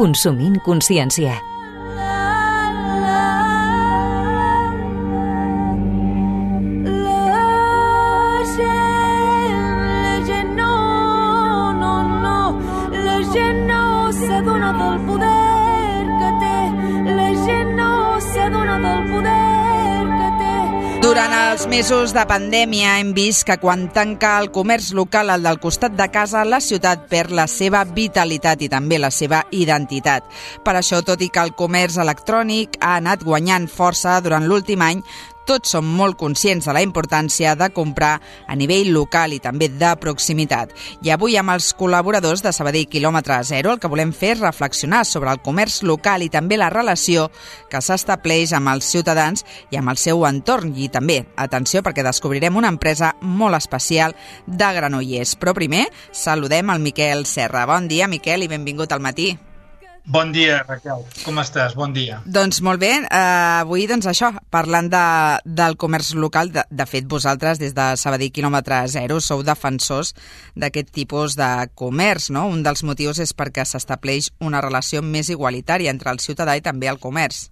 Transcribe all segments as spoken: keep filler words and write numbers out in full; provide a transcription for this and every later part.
Consumint consciència. Durant els mesos de pandèmia hem vist que quan tanca el comerç local, el del costat de casa, la ciutat perd la seva vitalitat i també la seva identitat. Per això, tot i que el comerç electrònic ha anat guanyant força durant l'últim any, tots som molt conscients de la importància de comprar a nivell local i també de proximitat. I avui amb els col·laboradors de Sabadell Quilòmetre Zero el que volem fer és reflexionar sobre el comerç local i també la relació que s'estableix amb els ciutadans i amb el seu entorn. I també, atenció, perquè descobrirem una empresa molt especial de Granollers. Però primer, saludem el Miquel Serra. Bon dia, Miquel, i benvingut al matí. Bon dia, Raquel. Com estàs? Bon dia. Doncs molt bé. Eh, avui, doncs això, parlant de, del comerç local, de, de fet, vosaltres, des de Sabadell Quilòmetre Zero, sou defensors d'aquest tipus de comerç, no? Un dels motius és perquè s'estableix una relació més igualitària entre el ciutadà i també el comerç.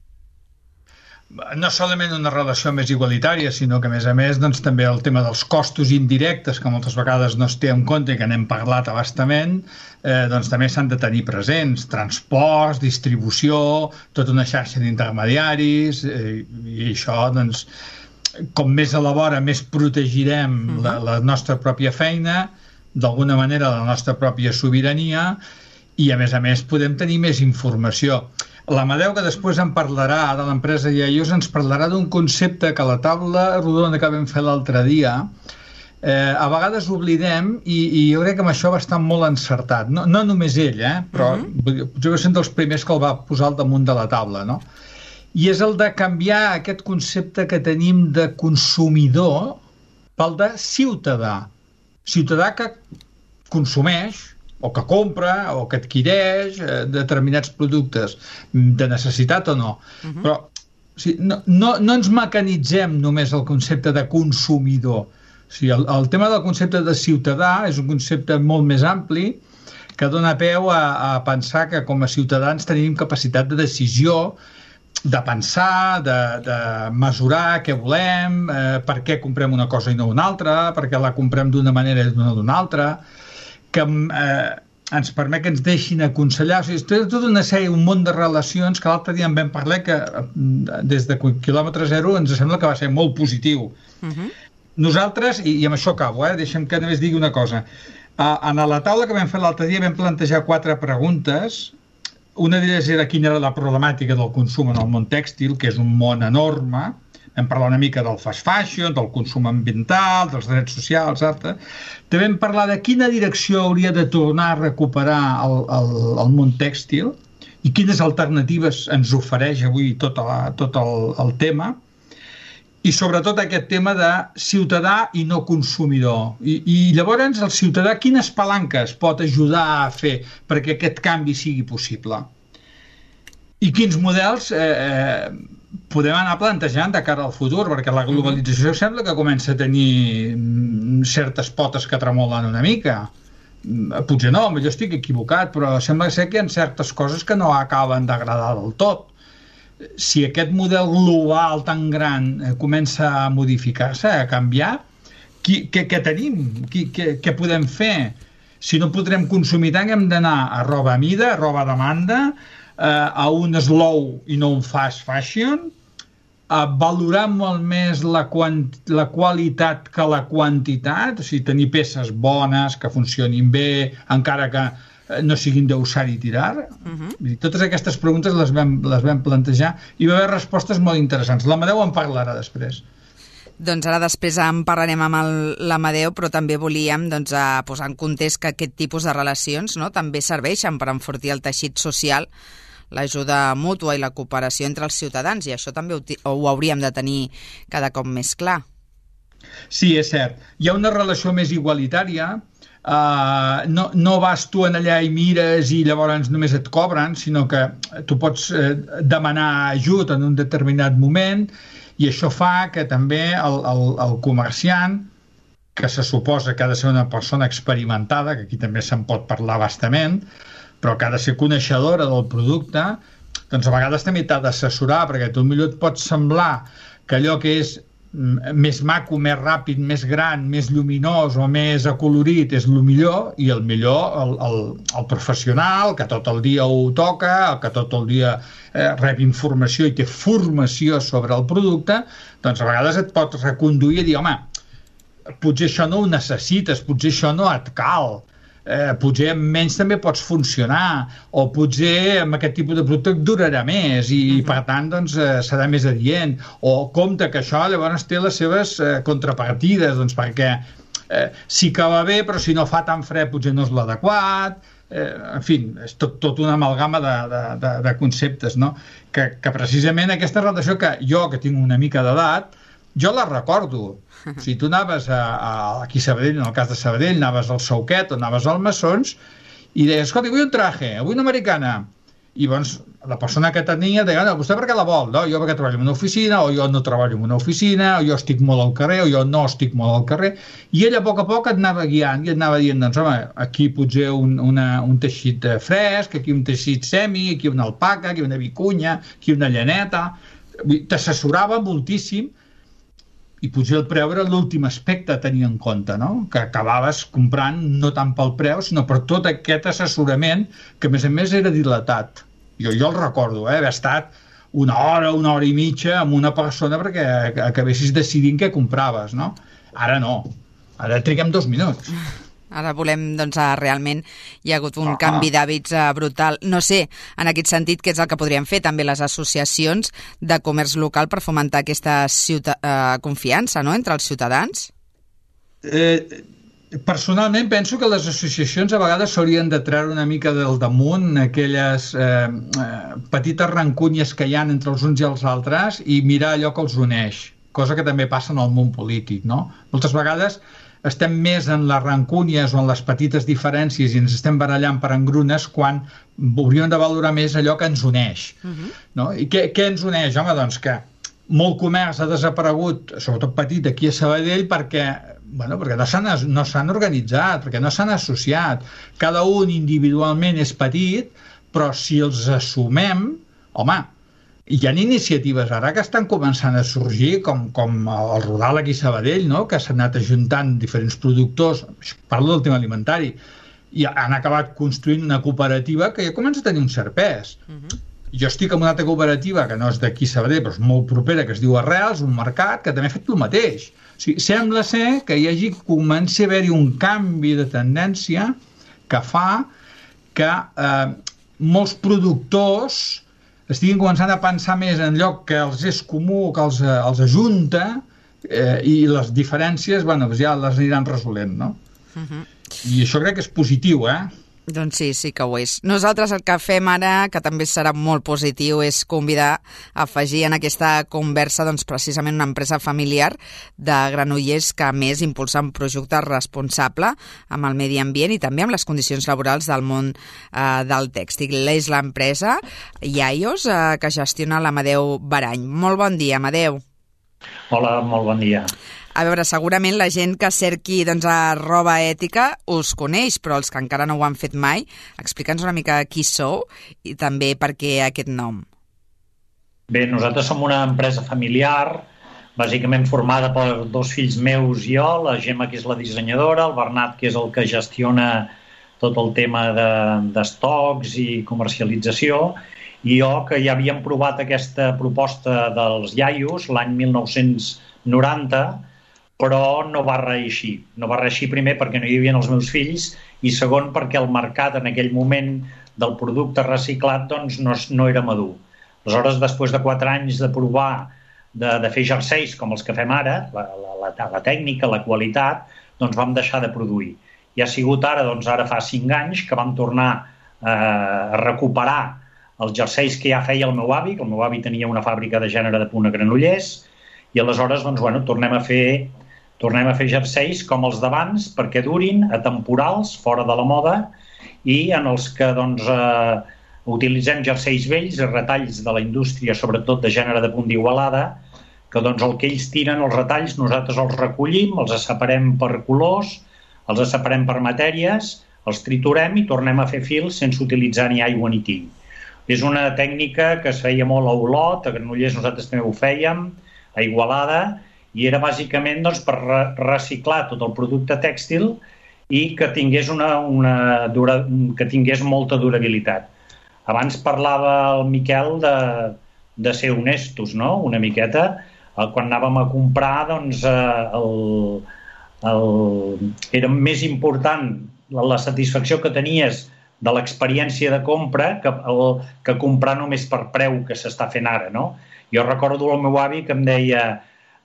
No solament una relació més igualitària, sinó que, a més a més, doncs, també el tema dels costos indirectes, que moltes vegades no es té en compte i que n'hem parlat a bastament, eh, doncs també s'han de tenir presents. Transports, distribució, tota una xarxa d'intermediaris, eh, i això, doncs, com més elabora, més protegirem uh-huh. la, la nostra pròpia feina, d'alguna manera la nostra pròpia sobirania, i, a més a més, podem tenir més informació. L'Amadeu, que després en parlarà de l'empresa Iaios, ens parlarà d'un concepte que a la taula rodona que vam fer l'altre dia eh, a vegades oblidem i, i jo crec que amb això va estar molt encertat. No, no només ell, eh, però uh-huh. potser va ser un dels primers que el va posar al damunt de la taula, no? I és el de canviar aquest concepte que tenim de consumidor pel de ciutadà. Ciutadà que consumeix o que compra, o que adquireix eh, determinats productes de necessitat o no. Uh-huh. Però o sigui, no, no, no ens mecanitzem només el concepte de consumidor. O sigui, el, el tema del concepte de ciutadà és un concepte molt més ampli que dona peu a, a pensar que com a ciutadans tenim capacitat de decisió, de pensar, de, de mesurar què volem, eh, per què comprem una cosa i no una altra, per què la comprem d'una manera i no d'una altra, que eh, ens permet que ens deixin aconsellar. O sigui, és tota una sèrie, un munt de relacions que l'altre dia en vam parlar que des de Quilòmetre Zero ens sembla que va ser molt positiu. Uh-huh. Nosaltres, i, i amb això acabo, eh, deixem que només digui una cosa. Uh, en la taula que vam fer l'altre dia vam plantejar quatre preguntes. Una d'elles era quina era la problemàtica del consum en el món tèxtil, que és un món enorme. Vam parlar una mica del fast fashion, del consum ambiental, dels drets socials, etcètera. També vam parlar de quina direcció hauria de tornar a recuperar el, el, el món tèxtil i quines alternatives ens ofereix avui tot, la, tot el, el tema. I sobretot aquest tema de ciutadà i no consumidor. I, i llavors el ciutadà quines palanques pot ajudar a fer perquè aquest canvi sigui possible? I quins models eh, eh, podem anar plantejant de cara al futur, perquè la globalització sembla que comença a tenir certes potes que tremolen una mica. Potser no, jo estic equivocat, però sembla ser que hi ha certes coses que no acaben d'agradar del tot. Si aquest model global tan gran eh, comença a modificar-se, a canviar, qui, què, què tenim? Qui, què, què podem fer? Si no podrem consumir tant, hem d'anar a roba a mida, a roba a demanda, eh, a un slow i no un fast fashion, a valorar molt més la, quant, la qualitat que la quantitat, o sigui, tenir peces bones, que funcionin bé, encara que no siguin d'usar i tirar. Uh-huh. Totes aquestes preguntes les vam, les vam plantejar i va haver respostes molt interessants. L'Amadeu en parlarà després. Doncs ara després en parlarem amb l'Amadeu, però també volíem doncs, a posar en context que aquest tipus de relacions, no, també serveixen per enfortir el teixit social, l'ajuda mútua i la cooperació entre els ciutadans, i això també ho, ho hauríem de tenir cada cop més clar. Sí, és cert. Hi ha una relació més igualitària. Uh, no, no vas tu en allà i mires i llavors només et cobren, sinó que tu pots eh, demanar ajut en un determinat moment, i això fa que també el, el, el comerciant, que se suposa que ha de ser una persona experimentada, que aquí també se'n pot parlar bastament, però que ha de ser coneixedora del producte, doncs a vegades també t'ha d'assessorar, perquè tu millor et pot semblar que allò que és més maco, més ràpid, més gran, més lluminós o més acolorit és el millor, i el millor el, el, el professional que tot el dia ho toca, el que tot el dia eh, rep informació i té formació sobre el producte, doncs a vegades et pot reconduir i dir, home, potser això no ho necessites, potser això no et cal, eh, potser amb menys també pots funcionar, o potser amb aquest tipus de producte et durarà més i uh-huh. per tant doncs, eh, serà més adient, o compte que això llavors té les seves eh, contrapartides, doncs perquè eh, sí que va bé, però si no fa tan fred potser no és l'adequat, eh, en fi, és tot, tot una amalgama de, de, de, de conceptes, no? que, que precisament aquesta relació que jo, que tinc una mica d'edat, jo la recordo. O sigui, tu anaves a, a, aquí a Sabadell, en el cas de Sabadell, anaves al Sauquet o anaves al Massons i deies, escolta, vull un traje, vull una americana. I doncs la persona que tenia deia, no, vostè per què la vol? No, jo perquè treballo en una oficina, o jo no treballo en una oficina, o jo estic molt al carrer, o jo no estic molt al carrer. I ella a poc a poc et anava guiant i et anava dient, doncs home, aquí potser un, una, un teixit fresc, aquí un teixit semi, aquí una alpaca, aquí una vicunya, aquí una llaneta. T'assessorava moltíssim, i potser el preu era l'últim aspecte a tenir en compte, no? Que acabaves comprant no tant pel preu, sinó per tot aquest assessorament que a més a més era dilatat. Jo, jo el recordo, eh? Haver estat una hora, una hora i mitja amb una persona perquè acabessis decidint què compraves, no? Ara no, ara triguem dos minuts. Ara volem, doncs, realment hi ha hagut un ah. canvi d'hàbits brutal. No sé, en aquest sentit, què és el que podrien fer també les associacions de comerç local per fomentar aquesta ciuta- eh, confiança, no?, entre els ciutadans? Eh, personalment penso que les associacions a vegades s'haurien de treure una mica del damunt aquelles eh, eh, petites rancúnies que hi ha entre els uns i els altres i mirar allò que els uneix, cosa que també passa en el món polític, no? Moltes vegades estem més en les rancúnies o en les petites diferències i ens estem barallant per engrunes quan hauríem de valorar més allò que ens uneix. Uh-huh. No? I què, què ens uneix? Home, doncs que molt comerç ha desaparegut, sobretot petit, aquí a Sabadell, perquè, bueno, perquè no s'han no s'han organitzat, perquè no s'han associat. Cada un individualment és petit, però si els assumem, home, hi ha iniciatives ara que estan començant a sorgir, com, com el Rodal aquí a Sabadell, no? Que s'han anat ajuntant diferents productors, parlo del tema alimentari, i han acabat construint una cooperativa que ja comença a tenir un cert pes. Uh-huh. Jo estic en una altra cooperativa que no és d'aquí a Sabadell, però és molt propera, que es diu Arrels, un mercat que també ha fet el mateix. O sigui, sembla ser que hi hagi, comença a haver-hi un canvi de tendència que fa que eh, molts productors estiguin començant a pensar més en lloc que els és comú, que els, els ajunta, eh, i les diferències, bueno, ja les aniran resolent, no? Uh-huh. I això crec que és positiu, eh? Doncs sí, sí que ho és. Nosaltres el que fem ara, que també serà molt positiu, és convidar a afegir en aquesta conversa doncs, precisament una empresa familiar de Granollers que a més impulsa un projecte responsable amb el medi ambient i també amb les condicions laborals del món eh, del tèxtil. És l'empresa Iaios eh, que gestiona l'Amadeu Barany. Molt bon dia, Amadeu. Hola, molt bon dia. A veure, segurament la gent que cerqui doncs, a roba ètica us coneix, però els que encara no ho han fet mai, explica'ns una mica qui sou i també per què aquest nom. Bé, nosaltres som una empresa familiar, bàsicament formada per dos fills meus i jo, la Gemma, que és la dissenyadora, el Bernat, que és el que gestiona tot el tema d'estocs de, i comercialització, i jo, que ja havíem provat aquesta proposta dels Iaios l'any mil nou-cents noranta, però no va reeixir. No va reeixir primer perquè no hi havia els meus fills i segon perquè el mercat en aquell moment del producte reciclat doncs, no, no era madur. Aleshores, després de quatre anys de provar de, de fer jerseis com els que fem ara, la, la, la, la tècnica, la qualitat, doncs vam deixar de produir. I ha sigut ara, doncs ara fa cinc anys, que vam tornar eh, a recuperar els jerseis que ja feia el meu avi, que el meu avi tenia una fàbrica de gènere de punt a Granollers, i aleshores doncs, bueno, tornem a fer tornem a fer jerseis com els d'abans perquè durin, atemporals, fora de la moda, i en els que doncs, eh, utilitzem jerseis vells i retalls de la indústria, sobretot de gènere de punt d'Igualada, que doncs, el que ells tiren, els retalls, nosaltres els recollim, els separem per colors, els separem per matèries, els triturem i tornem a fer fils sense utilitzar ni aigua ni tiny. És una tècnica que es feia molt a Olot, a Granollers nosaltres també ho fèiem, a Igualada, i era bàsicament doncs, per reciclar tot el producte tèxtil i que tingués, una, una dura, que tingués molta durabilitat. Abans parlava el Miquel de, de ser honestos, no? Una miqueta. Quan anàvem a comprar, doncs, el, el, era més important la, la satisfacció que tenies de l'experiència de compra que, el, que comprar només per preu que s'està fent ara, no? Jo recordo el meu avi que em deia,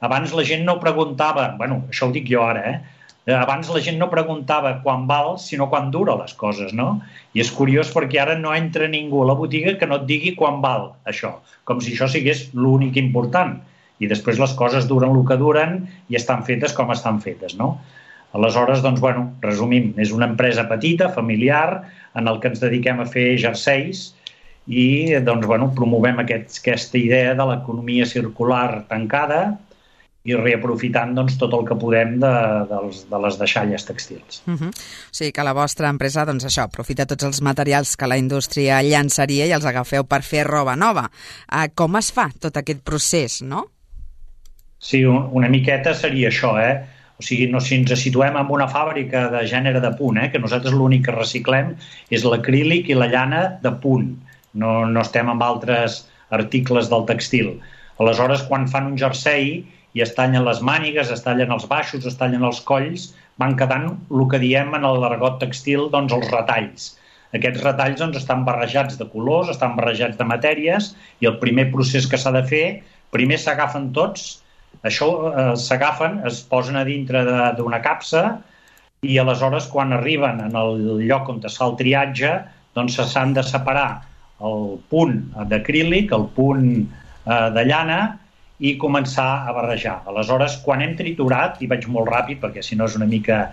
abans la gent no preguntava, bueno, això ho dic jo ara, eh? Abans la gent no preguntava quan val, sinó quan dura les coses, no? I és curiós perquè ara no entra ningú a la botiga que no et digui quan val això, com si això sigués l'únic important. I després les coses duren el que duren i estan fetes com estan fetes, no? Aleshores, doncs, bueno, resumim, és una empresa petita, familiar, en el que ens dediquem a fer jerseis i, doncs, bueno, promovem aquest, aquesta idea de l'economia circular tancada i reaprofitant doncs, tot el que podem de, de, de les deixalles tèxtils. Uh-huh. O sigui que la vostra empresa, doncs això, aprofita tots els materials que la indústria llançaria i els agafeu per fer roba nova. Uh, com es fa tot aquest procés, no? Sí, una miqueta seria això, eh? O sigui, no, si ens situem en una fàbrica de gènere de punt, eh? Que nosaltres l'únic que reciclem és l'acrílic i la llana de punt. No, no estem amb altres articles del textil. Aleshores, quan fan un jersei i es tallen les mànigues, es tallen els baixos, es tallen els colls, van quedant el que diem en l'argot textil, doncs els retalls. Aquests retalls doncs, estan barrejats de colors, estan barrejats de matèries i el primer procés que s'ha de fer, primer s'agafen tots, això eh, s'agafen, es posen a dintre d'una capsa i aleshores quan arriben en el lloc on es fa el triatge, doncs s'han de separar el punt d'acrílic, el punt eh, de llana, i començar a barrejar. Aleshores, quan hem triturat, i vaig molt ràpid perquè si no és una mica,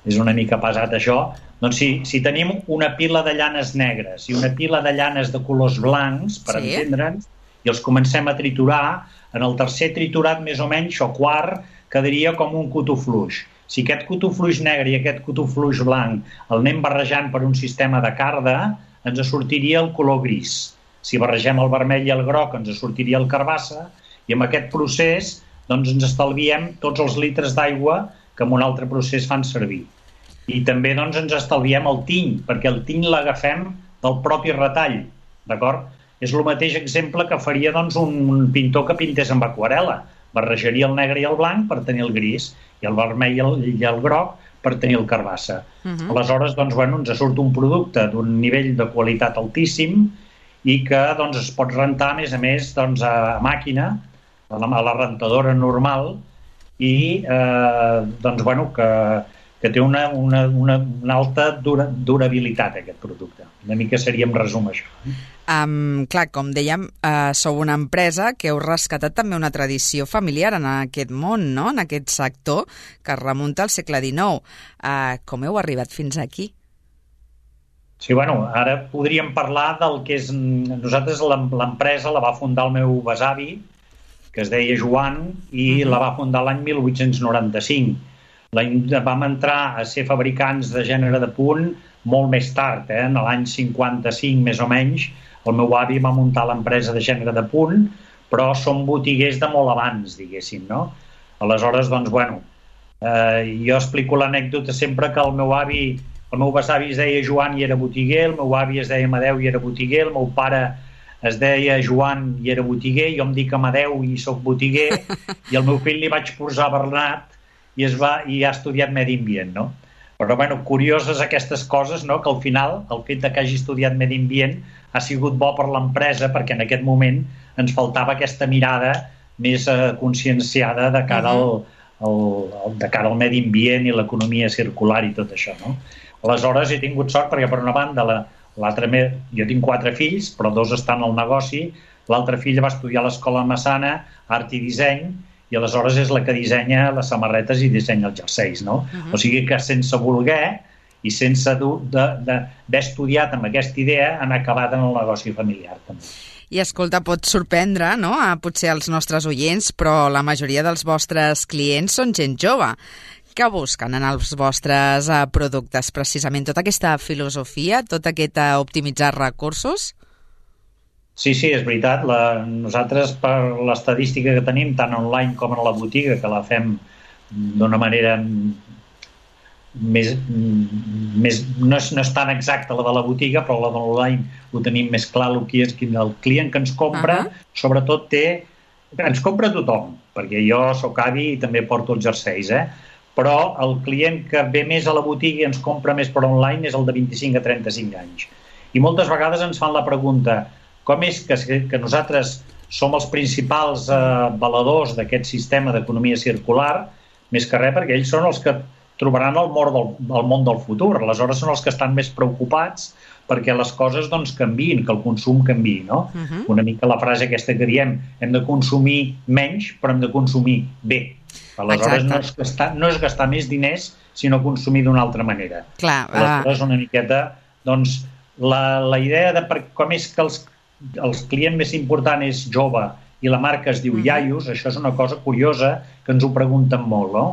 és una mica pesat això, doncs si, si tenim una pila de llanes negres i una pila de llanes de colors blancs, per sí. entendre'ns, i els comencem a triturar, en el tercer triturat més o menys, o quart, quedaria com un cotofluix. Si aquest cotofluix negre i aquest cotofluix blanc el anem barrejant per un sistema de carda, ens sortiria el color gris. Si barregem el vermell i el groc, ens sortiria el carbassa, i amb aquest procés doncs, ens estalviem tots els litres d'aigua que en un altre procés fan servir. I també doncs, ens estalviem el tiny, perquè el tiny l'agafem del propi retall, d'acord? És el mateix exemple que faria doncs, un pintor que pintés amb aquarel·la. Barrejaria el negre i el blanc per tenir el gris, i el vermell i el, i el groc per tenir el carbassa. Uh-huh. Aleshores, doncs, bueno, ens surt un producte d'un nivell de qualitat altíssim i que doncs, es pot rentar, a més a més, doncs, a màquina, a la, a la rentadora normal, i eh, doncs, bueno, que, que té una, una, una, una alta dura, durabilitat, aquest producte. Una mica seria en resum això. Um, clar, com dèiem, uh, sou una empresa que heu rescatat també una tradició familiar en aquest món, no? En aquest sector que es remunta al segle dinou. Uh, com heu arribat fins aquí? Sí, bueno, ara podríem parlar del que és... Nosaltres l'empresa la va fundar el meu besavi, que es deia Joan, i uh-huh. la va fundar l'any mil vuit-cents noranta-cinc. La, vam entrar a ser fabricants de gènere de punt molt més tard, eh? En l'any cinquanta-cinc més o menys. El meu avi va muntar l'empresa de gènere de punt, però som botiguers de molt abans, diguéssim, no? Aleshores, doncs, bueno, eh, jo explico l'anècdota sempre que el meu avi, el meu besavi es deia Joan i era botiguer, el meu avi es deia Amadeu i era botiguer, el meu pare es deia Joan i era botiguer, jo em dic Amadeu i soc botiguer, i el meu fill li vaig posar Bernat i, es va, i ha estudiat medi ambient, no? Però, bueno, curioses aquestes coses, no?, que al final el fet de que hagi estudiat medi ambient ha sigut bo per l'empresa perquè en aquest moment ens faltava aquesta mirada més eh, conscienciada de cara, al, al, de cara al medi ambient i l'economia circular i tot això, no? Aleshores he tingut sort perquè, per una banda, la, l'altre, jo tinc quatre fills, però dos estan al negoci, l'altre fill va estudiar a l'escola Massana, art i disseny, i aleshores és la que dissenya les samarretes i dissenya els jerseis, no? Uh-huh. O sigui que sense voler i sense d'haver estudiat amb aquesta idea han acabat en el negoci familiar també. I escolta, pot sorprendre, no?, a potser els nostres oients, però la majoria dels vostres clients són gent jove. Què busquen en els vostres uh, productes, precisament? Tota aquesta filosofia, tot aquest uh, optimitzar recursos? Sí, sí, és veritat. La, nosaltres, per l'estadística que tenim, tant online com en la botiga, que la fem d'una manera més, més no, és, no és tan exacta la de la botiga, però la de l'online ho tenim més clar, el que és el client que ens compra, uh-huh. sobretot té... Ens compra tothom, perquè jo sóc avi i també porto els jerseis, eh? Però el client que ve més a la botiga i ens compra més per online és el de vint-i-cinc a trenta-cinc anys. I moltes vegades ens fan la pregunta: com és que, que nosaltres som els principals eh, valedors d'aquest sistema d'economia circular, més que res perquè ells són els que trobaran el món del, el món del futur. Aleshores són els que estan més preocupats perquè les coses doncs, canviïn, que el consum canviï. No? Uh-huh. Una mica la frase aquesta que diem, hem de consumir menys, però hem de consumir bé. Aleshores no és, gastar, no és gastar més diners, sinó consumir d'una altra manera. Clar, Aleshores uh... una miqueta, doncs, la, la idea de per, com és que els el client més important és jove i la marca es diu iaios, això és una cosa curiosa que ens ho pregunten molt, no?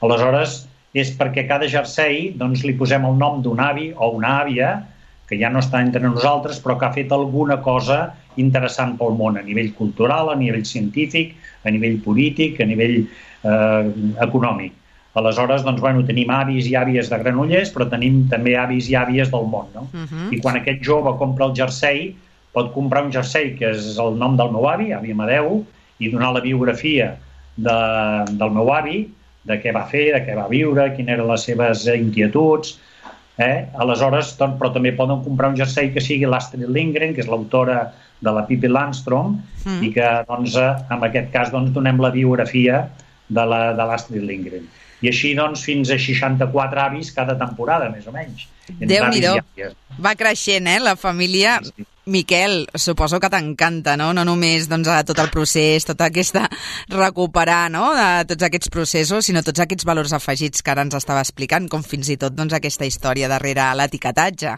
Aleshores, és perquè cada jersei doncs, li posem el nom d'un avi o una àvia que ja no està entre nosaltres, però que ha fet alguna cosa interessant pel món, a nivell cultural, a nivell científic, a nivell polític, a nivell eh, econòmic. Aleshores, doncs, bueno, tenim avis i àvies de Granollers, però tenim també avis i àvies del món, no? Uh-huh. I quan aquest jove compra el jersei, pot comprar un jersei que és el nom del meu avi, avi Amadeu, i donar la biografia de, del meu avi, de què va fer, de què va viure, quines eren les seves inquietuds. Eh? Aleshores, doncs, però també poden comprar un jersei que sigui l'Astrid Lindgren, que és l'autora de la Pippi Landstrom, mm. i que, doncs, en aquest cas, doncs, donem la biografia de l'Astrid Lindgren. I així, doncs, fins a seixanta-quatre avis cada temporada, més o menys. Déu-n'hi-do. Va creixent, eh, la família. Sí, sí. Miquel, suposo que t'encanta, no? No només doncs, tot el procés, tota aquesta recuperar, no? De tots aquests processos, sinó tots aquests valors afegits que ara ens estava explicant, com fins i tot doncs, aquesta història darrere l'etiquetatge.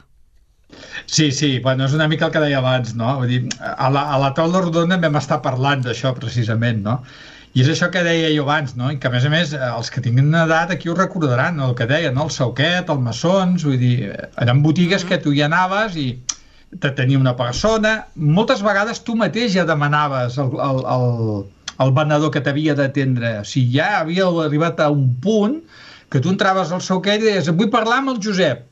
Sí, sí, bueno, és una mica el que deia abans, no? Vull dir, a la, a la taula rodona vam estar parlant d'això precisament, no? I és això que deia jo abans, no? I que a més a més els que tinguin una edat aquí ho recordaran, no? El que deia, no? El Sauquet, el Massons, vull dir, eren botigues que tu hi anaves i te tenia una persona, moltes vegades tu mateix ja demanaves el, el, el, el venedor que t'havia d'atendre. O sigui, ja havia arribat a un punt que tu entraves al Sauquet i deies, vull parlar amb el Josep,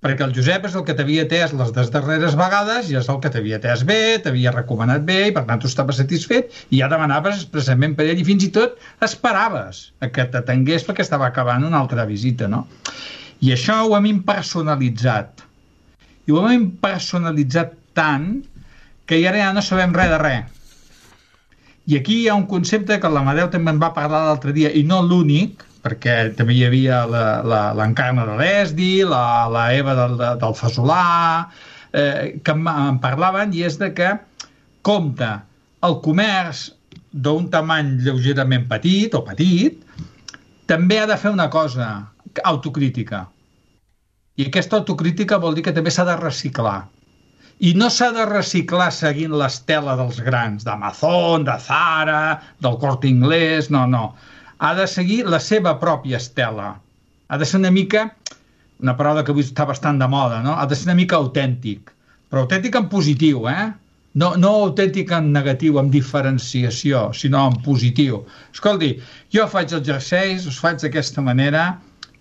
perquè el Josep és el que t'havia atès les darreres vegades i és el que t'havia atès bé, t'havia recomanat bé i per tant tu estaves satisfet i ja demanaves expressament per ell i fins i tot esperaves a que t'atengués perquè estava acabant una altra visita, no? I això ho hem impersonalitzat. I ho hem personalitzat tant que ara ja no sabem res de res. I aquí hi ha un concepte que l'Amadeu també en va parlar l'altre dia, i no l'únic, perquè també hi havia l'Encarna de l'Esdi, la, la Eva del, del Fasolà, eh, que en parlaven, i és de que compta el comerç d'un tamany lleugerament petit o petit, també ha de fer una cosa, autocrítica. I aquesta autocrítica vol dir que també s'ha de reciclar. I no s'ha de reciclar seguint l'estela dels grans, d'Amazon, de Zara, del Corte Inglés, no, no. Ha de seguir la seva pròpia estela. Ha de ser una mica, una paraula que avui està bastant de moda, no? Ha de ser una mica autèntic. Però autèntic en positiu, eh? No, no autèntic en negatiu, en diferenciació, sinó en positiu. Escolti, jo faig els jerseis, us faig d'aquesta manera.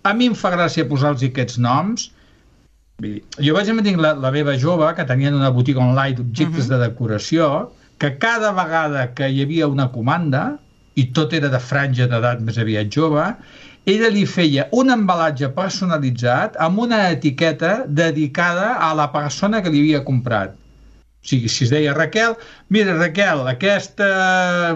A mi em fa gràcia posar-los aquests noms. Jo vaig tenir la, la meva jove, que tenien una botiga online d'objectes uh-huh. de decoració, que cada vegada que hi havia una comanda, i tot era de franja d'edat més aviat jove, ella li feia un embalatge personalitzat amb una etiqueta dedicada a la persona que li havia comprat. O sigui, si es deia Raquel, mira Raquel, aquesta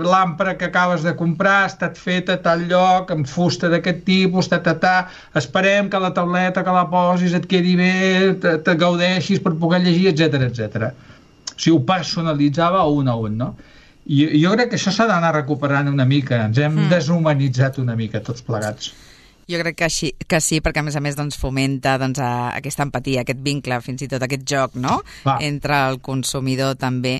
làmpara que acabes de comprar ha estat feta a tal lloc, amb fusta d'aquest tipus, ta, ta, ta, esperem que la tauleta que la posis et quedi bé, te, te gaudeixis per poder llegir, etcètera, etcètera. O sigui, ho personalitzava un a un, no? I jo crec que això s'ha d'anar recuperant una mica, ens hem mm. deshumanitzat una mica tots plegats. Jo crec que, així, que sí, perquè a més a més doncs, fomenta doncs, a, aquesta empatia, aquest vincle, fins i tot aquest joc, no? Va. Entre el consumidor també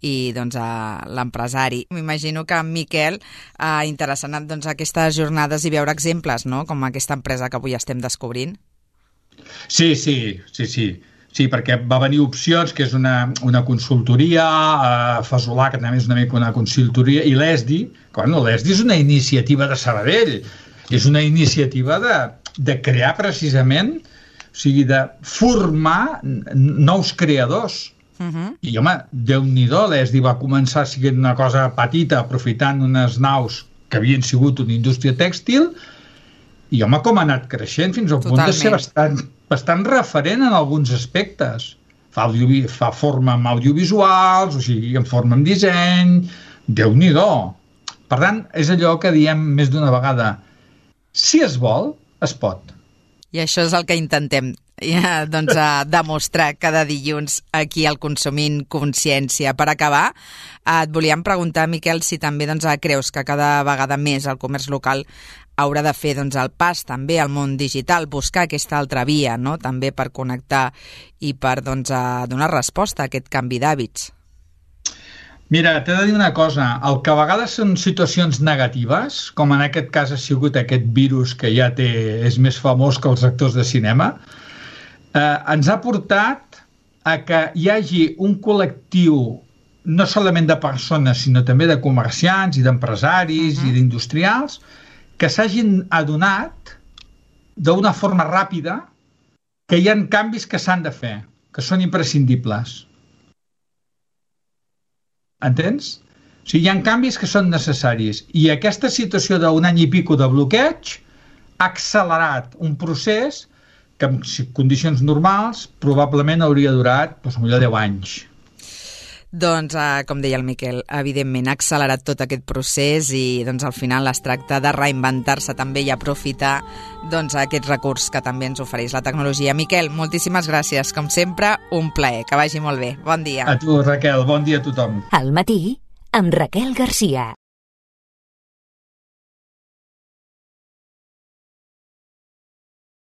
i doncs, l'empresari. M'imagino que en Miquel ha interessat doncs, aquestes jornades i veure exemples, no? Com aquesta empresa que avui estem descobrint. Sí, sí, sí, sí. Sí, perquè va venir Opcions, que és una, una consultoria, eh, Fasolà, que també és una mica una consultoria, i l'E S D I, que bueno, l'E S D I és una iniciativa de Sabadell, és una iniciativa de, de crear precisament, o sigui, de formar nous creadors. Uh-huh. I, home, Déu-n'hi-do, l'E S D I va començar sent una cosa petita, aprofitant unes naus que havien sigut una indústria tèxtil, i, home, com ha anat creixent fins al punt de ser bastant, bastant referent en alguns aspectes. Fa, audio, fa forma amb audiovisuals, o sigui, en forma amb disseny, Déu-n'hi-do. Per tant, és allò que diem més d'una vegada, si es vol, es pot. I això és el que intentem ja, doncs, a demostrar cada dilluns aquí al Consumint Consciència. Per acabar, et volíem preguntar, Miquel, si també doncs, creus que cada vegada més el comerç local haurà de fer doncs, el pas també al món digital, buscar aquesta altra via, no? També per connectar i per doncs, a donar resposta a aquest canvi d'hàbits. Mira, t'he de dir una cosa, el que a vegades són situacions negatives, com en aquest cas ha sigut aquest virus que ja té, és més famós que els actors de cinema, eh, ens ha portat a que hi hagi un col·lectiu no solament de persones, sinó també de comerciants i d'empresaris uh-huh. i d'industrials, que s'hagin adonat d'una forma ràpida que hi ha canvis que s'han de fer, que són imprescindibles. Entens? O sigui, hi ha canvis que són necessaris. I aquesta situació d'un any i pico de bloqueig ha accelerat un procés que en condicions normals probablement hauria durat doncs, millor deu anys. Doncs, eh, com deia el Miquel, evidentment ha accelerat tot aquest procés i doncs, al final es tracta de reinventar-se també i aprofitar doncs, aquest recurs que també ens ofereix la tecnologia. Miquel, moltíssimes gràcies. Com sempre, un plaer. Que vagi molt bé. Bon dia. A tu, Raquel. Bon dia a tothom. Al matí, amb Raquel Garcia.